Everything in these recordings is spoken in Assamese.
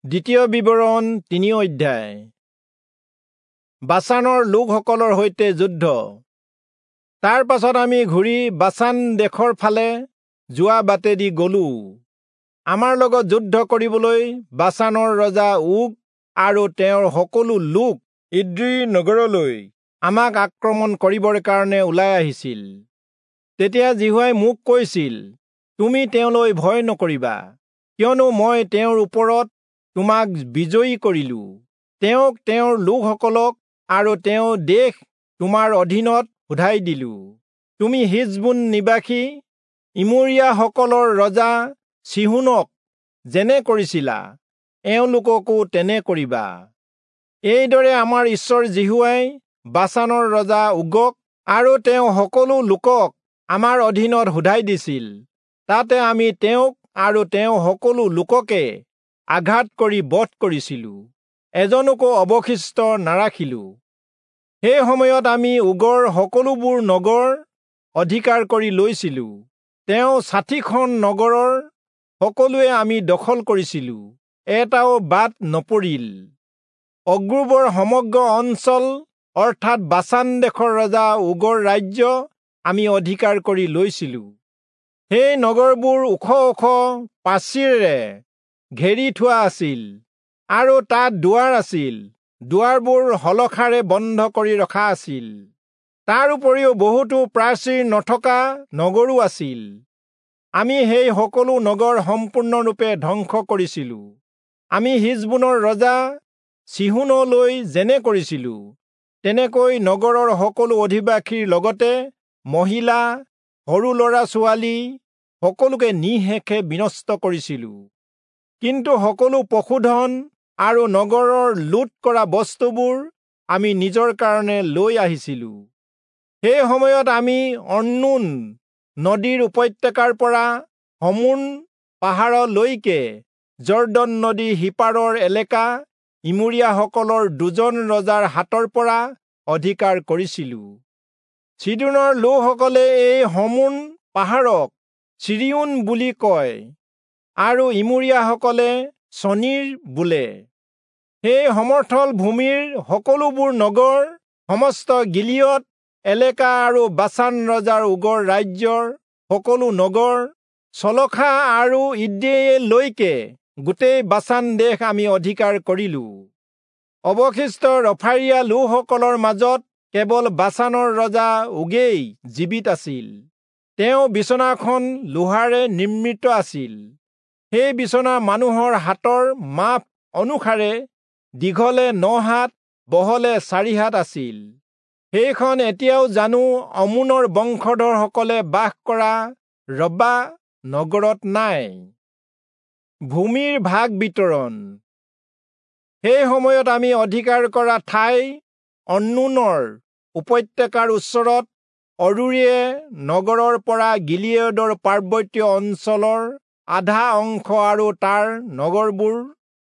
দ্বিতীয় বিৱৰণ 3 অধ্যায়। বাচানৰ লোকসকলৰ সৈতে যুদ্ধ। তাৰ পাছত আমি ঘূৰি বাচান দেশৰ ফালে যোৱা বাটেদি গলো। আমাৰ লগত যুদ্ধ কৰিবলৈ বাচানৰ ৰজা ওগ আৰু তেওঁৰ সকলো লোক ইদ্ৰী নগৰলৈ আমাক আক্ৰমণ কৰিবৰ কাৰণে ওলাই আহিছিল। তেতিয়া যিহোৱাই মোক কৈছিল, তুমি তেওঁলৈ ভয় নকৰিবা, কিয়নো মই তেওঁৰ ওপৰত তোমাক বিজয়ী কৰিলো। তেওঁক, তেওঁৰ লোকসকলক আৰু তেওঁৰ দেশ তোমাৰ অধীনত সোধাই দিলো। তুমি হিচবোন নিবাসী ইমোৰীয়াসকলৰ ৰজা চীহোনক যেনে কৰিছিলা, এওঁলোককো তেনে কৰিবা। এইদৰে আমাৰ ঈশ্বৰ যিহোৱাই বাচানৰ ৰজা ওগক আৰু তেওঁ সকলো লোকক আমাৰ অধীনত সোধাই দিছিল। তাতে আমি তেওঁক আৰু তেওঁ সকলো লোককে আঘাত কৰি বধ কৰিছিলো, এজনকো অৱশিষ্ট নাৰাখিলো। সেই সময়ত আমি ওগৰ সকলোবোৰ নগৰ অধিকাৰ কৰি লৈছিলো। তেওঁ 60খন নগৰৰ সকলোৱে আমি দখল কৰিছিলো, এটাও বাদ নপৰিল। অগ্ৰোবৰ সমগ্ৰ অঞ্চল অৰ্থাৎ বাচান দেশৰ ৰজা ওগৰ ৰাজ্য আমি অধিকাৰ কৰি লৈছিলো। সেই নগৰবোৰ ওখ ওখ প্ৰাচীৰেৰে ঘেৰি থোৱা আছিল আৰু তাত দুৱাৰ আছিল। দুৱাৰবোৰ শলখাৰে বন্ধ কৰি ৰখা আছিল। তাৰ উপৰিও বহুতো প্ৰাচীৰ নথকা নগৰো আছিল। আমি সেই সকলো নগৰ সম্পূৰ্ণৰূপে ধ্বংস কৰিছিলো। আমি হিচবোনৰ ৰজা চীহোনলৈ যেনে কৰিছিলো, তেনেকৈ নগৰৰ সকলো অধিবাসীৰ লগতে মহিলা, সৰু ল'ৰা ছোৱালী সকলোকে নিঃশেষে বিনষ্ট কৰিছিলো। কিন্তু সকলো পশুধন আৰু নগৰৰ লুট কৰা বস্তুবোৰ আমি নিজৰ কাৰণে লৈ আহিছিলো। সেই সময়ত আমি অৰ্ণোন নদীৰ উপত্যকাৰ পৰা হৰ্মোন পাহাৰলৈকে যৰ্দন নদীৰ সিপাৰৰ এলেকা ইমোৰীয়াসকলৰ দুজন ৰজাৰ হাতৰ পৰা অধিকাৰ কৰিছিলো। চীদোনৰ লোকসকলে এই হৰ্মোন পাহাৰক চিৰিয়োন বুলি কয় আৰু ইমোৰীয়াসকলে চনীৰ বোলে। সেই সমথল ভূমিৰ সকলোবোৰ নগৰ, সমস্ত গিলিয়দ এলেকা আৰু বাচান ৰজাৰ ওগৰ ৰাজ্যৰ সকলো নগৰ, চলখা আৰু ইদ্ৰেয়ীলৈকে গোটেই বাচান দেশ আমি অধিকাৰ কৰিলো। অৱশিষ্ট ৰফাৰীয়া লোকসকলৰ মাজত কেৱল বাচানৰ ৰজা ওগেই জীৱিত আছিল। তেওঁ বিচনাখন লোহাৰে নিৰ্মিত আছিল। সেই বিচনা মানুহৰ হাতৰ মাপ অনুসাৰে দীঘলে 9 হাত, বহলে 4 হাত আছিল। সেইখন এতিয়াও জানো অম্মোনৰ বংশধৰসকলে বাস কৰা ৰব্বা নগৰত নাই। ভূমিৰ ভাগ বিতৰণ। সেই সময়ত আমি অধিকাৰ কৰা ঠাই অৰ্ণোনৰ উপত্যকাৰ ওচৰত অৰোয়ে নগৰৰ পৰা গিলিয়দৰ পাৰ্বত্য অঞ্চলৰ আধা অংশ আৰু তাৰ নগৰবোৰ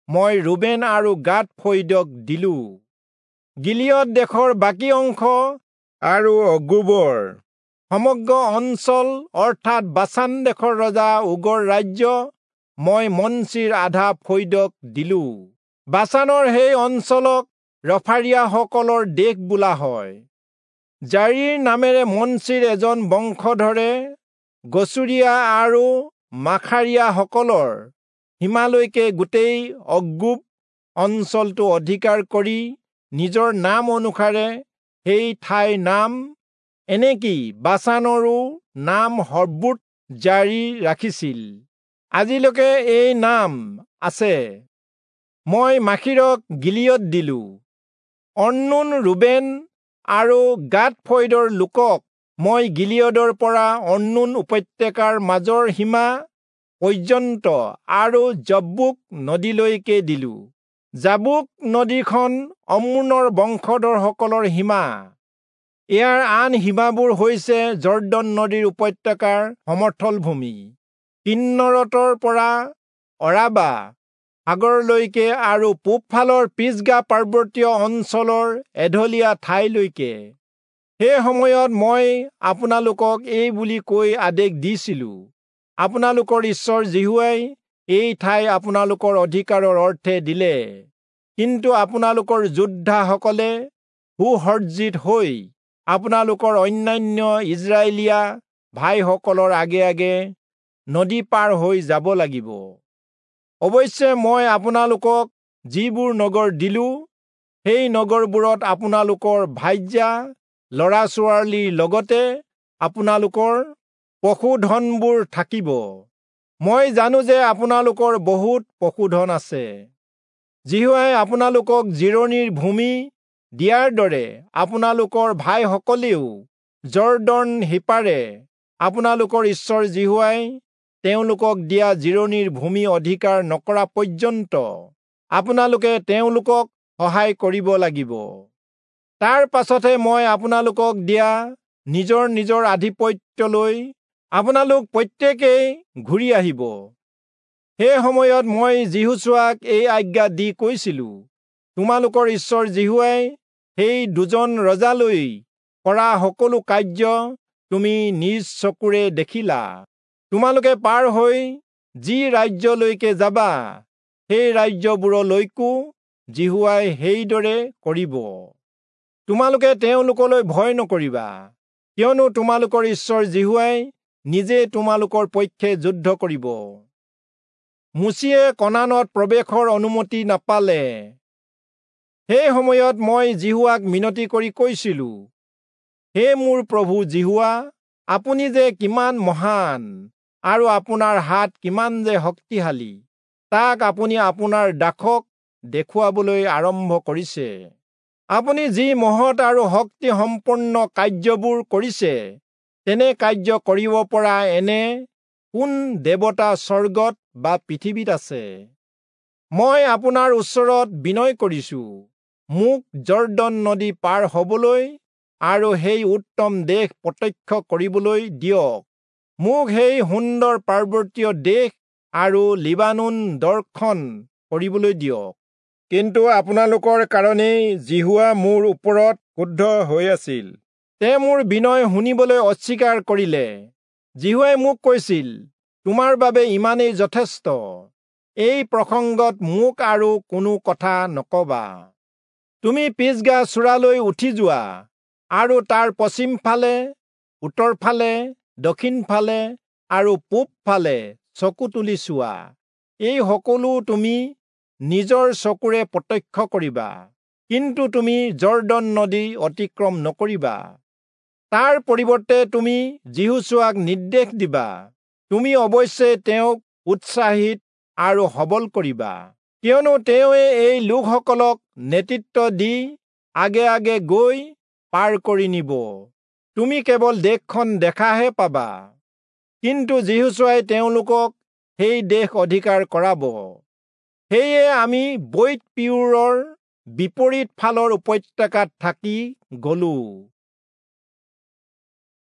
মই ৰুবেন আৰু গাদ ফৈদক দিলো। গিলিয়দ দেশৰ বাকী অংশ আৰু অগ্ৰোবৰ সমগ্ৰ অঞ্চল অৰ্থাৎ বাচান দেশৰ ৰজা ওগৰ ৰাজ্য মই মনচিৰ আধা ফৈদক দিলো। বাচানৰ সেই অঞ্চলক ৰফাৰীয়াসকলৰ দেশ বোলা হয়। জাৰীৰ নামেৰে মনচিৰ এজন বংশধৰে গচুৰীয়া আৰু মাখাৰীয়াসকলৰ সীমালৈকে গোটেই অগ্ৰোব অঞ্চলটো অধিকাৰ কৰি নিজৰ নাম অনুসাৰে সেই ঠাইৰ নাম, এনেকি বাচানৰো নাম হব্বোৎ জাৰী ৰাখিছিল। আজিলৈকে এই নাম আছে। মই মাখীৰক গিলিয়দ দিলো। অৰ্ণোন, ৰুবেন আৰু গাদ ফৈদৰ লোকক মই গিলিয়দৰ পৰা অৰ্ণোন উপত্যকাৰ মাজৰ সীমা পৰ্যন্ত আৰু যব্বোক নদীলৈকে দিলো। যাবোক নদীখন অম্মোনৰ বংশধৰসকলৰ সীমা। ইয়াৰ আন সীমাবোৰ হৈছে যৰ্দন নদীৰ উপত্যকাৰ সমথল ভূমি, কিন্নৰতৰ পৰা অৰাবা সাগৰলৈকে আৰু পূবফালৰ পিচগা পাৰ্বত্য অঞ্চলৰ এঢলীয়া ঠাইলৈকে। সেই সময়ত মই আপোনালোকক এই বুলি কৈ আদেশ দিছিলো, আপোনালোকৰ ঈশ্বৰ যিহোৱাই এই ঠাই আপোনালোকৰ অধিকাৰৰ অৰ্থে দিলে। কিন্তু আপোনালোকৰ যোদ্ধাসকলে সুসজ্জিত হৈ আপোনালোকৰ অন্যান্য ইজৰাইলীয়া ভাইসকলৰ আগে আগে নদী পাৰ হৈ যাব লাগিব। অৱশ্যে মই আপোনালোকক যিবোৰ নগৰ দিলো, সেই নগৰবোৰত আপোনালোকৰ ভাৰ্যা, ল'ৰা-ছোৱালীৰ লগতে আপোনালোকৰ পশুধনবোৰ থাকিব। মই জানো যে আপোনালোকৰ বহুত পশুধন আছে। যিহোৱাই আপোনালোকক জিৰণিৰ ভূমি দিয়াৰ দৰে আপোনালোকৰ ভাইসকলেও যৰ্দন সিপাৰে আপোনালোকৰ ঈশ্বৰ যিহোৱাই তেওঁলোকক দিয়া জিৰণিৰ ভূমি অধিকাৰ নকৰা পৰ্যন্ত আপোনালোকে তেওঁলোকক সহায় কৰিব লাগিব। তাৰ পাছতহে মই আপোনালোকক দিয়া নিজৰ নিজৰ আধিপত্যলৈ আপোনালোক প্ৰত্যেকেই ঘূৰি আহিব। সেই সময়ত মই যিহোচূৱাক এই আজ্ঞা দি কৈছিলো, তোমালোকৰ ঈশ্বৰ যিহোৱাই সেই দুজন ৰজালৈ কৰা সকলো কাৰ্য তুমি নিজ চকুৰে দেখিলা। তোমালোকে পাৰ হৈ যি ৰাজ্যলৈকে যাবা, সেই ৰাজ্যবোৰলৈকো যিহোৱাই সেইদৰে কৰিব। তোমালোকে তেওঁলোকলৈ ভয় নকৰিবা, কিয়নো তোমালোকৰ ঈশ্বৰ যিহোৱাই নিজে তোমালোকৰ পক্ষে যুদ্ধ কৰিব। মোচিয়ে কনানত প্ৰৱেশৰ অনুমতি নাপালে। সেই সময়ত মই যিহোৱাক মিনতি কৰি কৈছিলো, হে মোৰ প্ৰভু যিহোৱা, আপুনি যে কিমান মহান আৰু আপোনাৰ হাত কিমান যে শক্তিশালী, তাক আপুনি আপোনাৰ দাসক দেখুৱাবলৈ আৰম্ভ কৰিছে। আপুনি যি মহৎ আৰু শক্তিসম্পন্ন কাৰ্যবোৰ কৰিছে, তেনে কাৰ্য কৰিব পৰা এনে কোন দেৱতা স্বৰ্গত বা পৃথিৱীত আছে? মই আপোনাৰ ওচৰত বিনয় কৰিছো, মোক যৰ্দন নদী পাৰ হবলৈ আৰু সেই উত্তম দেশ প্ৰত্যক্ষ কৰিবলৈ দিয়ক। মোক সেই সুন্দৰ পাৰ্বতীয় দেশ আৰু লিবানোন দৰ্শন কৰিবলৈ দিয়ক। কিন্তু আপোনালোকৰ কাৰণেই যিহোৱা মোৰ ওপৰত ক্ৰুদ্ধ হৈ আছিল। তেওঁ মোৰ বিনয় শুনিবলৈ অস্বীকাৰ কৰিলে। যিহোৱাই মোক কৈছিল, তোমাৰ বাবে ইমানেই যথেষ্ট। এই প্ৰসংগত মোক আৰু কোনো কথা নকবা। তুমি পিছগা চূড়ালৈ উঠি যোৱা আৰু তাৰ পশ্চিম ফালে, উত্তৰ ফালে, দক্ষিণ ফালে আৰু পূব ফালে চকু তুলি চোৱা। এই সকলো তুমি নিজৰ চকুৰে প্ৰত্যক্ষ কৰিবা, কিন্তু তুমি যৰ্দন নদী অতিক্ৰম নকৰিবা। তাৰ পৰিৱৰ্তে তুমি যিহোচূৱাক নিৰ্দেশ দিবা। তুমি অৱশ্যে তেওঁক উৎসাহিত আৰু সবল কৰিবা, কিয়নো তেওঁৱে এই লোকসকলক নেতৃত্ব দি আগে আগে গৈ পাৰ কৰি নিব। তুমি কেৱল দেশখন দেখাহে পাবা, কিন্তু যিহোচূৱাই তেওঁলোকক সেই দেশ অধিকাৰ কৰাব। সেয়ে আমি বৈৎ-পিয়োৰৰ বিপৰীত ফালৰ উপত্যকাত থাকি গলো।